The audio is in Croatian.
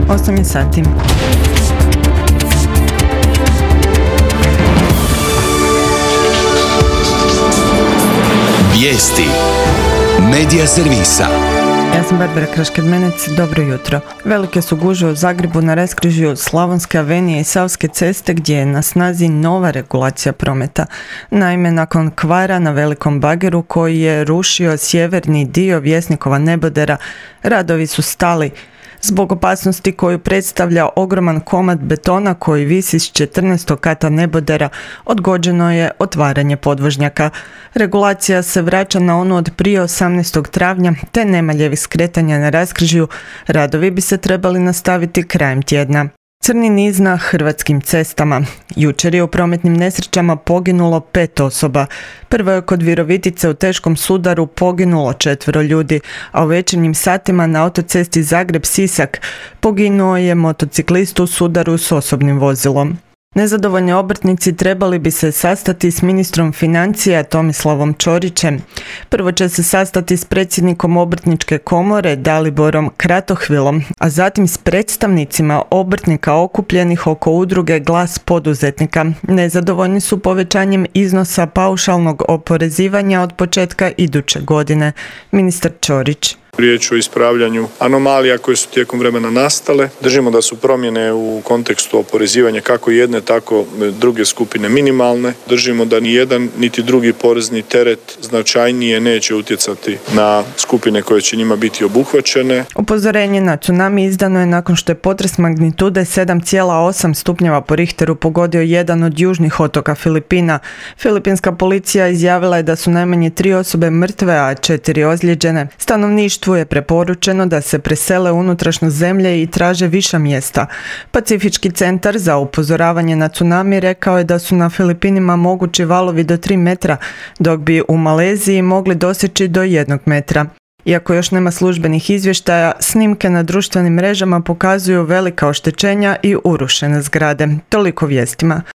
8 je sati. Vijesti Medija servisa. Ja sam Barbara Krašked-Menec, dobro jutro. Velike su gužve u Zagrebu na raskrižju Slavonske avenije i Savske ceste gdje je na snazi nova regulacija prometa. Naime, nakon kvara na velikom bageru koji je rušio sjeverni dio Vjesnikova nebodera, radovi su stali. Zbog opasnosti koju predstavlja ogroman komad betona koji visi s 14. kata nebodera, odgođeno je otvaranje podvožnjaka. Regulacija se vraća na onu od prije 18. travnja, te nema ljevih skretanja na raskrižju. Radovi bi se trebali nastaviti krajem tjedna. Crni niz na hrvatskim cestama. Jučer je u prometnim nesrećama poginulo 5 osoba. Prvo je kod Virovitice u teškom sudaru poginulo 4 ljudi, a u večernjim satima na autocesti Zagreb-Sisak poginuo je motociklist u sudaru s osobnim vozilom. Nezadovoljni obrtnici trebali bi se sastati s ministrom financija Tomislavom Ćorićem. Prvo će se sastati s predsjednikom Obrtničke komore Daliborom Kratohvilom, a zatim s predstavnicima obrtnika okupljenih oko udruge Glas poduzetnika. Nezadovoljni su povećanjem iznosa paušalnog oporezivanja od početka iduće godine. Ministar Ćorić. Riječ o ispravljanju anomalija koje su tijekom vremena nastale. Držimo da su promjene u kontekstu oporezivanja kako jedne, tako druge skupine minimalne. Držimo da ni jedan niti drugi porezni teret značajnije neće utjecati na skupine koje će njima biti obuhvaćene. Upozorenje na tsunami izdano je nakon što je potres magnitude 7,8 stupnjeva po Richteru pogodio jedan od južnih otoka Filipina. Filipinska policija izjavila je da su najmanje 3 osobe mrtve, a 4 ozlijeđene. Stanovništvu je preporučeno da se presele u unutrašnjost zemlje i traže viša mjesta. Pacifički centar za upozoravanje na tsunami rekao je da su na Filipinima mogući valovi do 3 metra, dok bi u Maleziji mogli doseći do 1 metra. Iako još nema službenih izvještaja, snimke na društvenim mrežama pokazuju velika oštećenja i urušene zgrade. Toliko vijestima.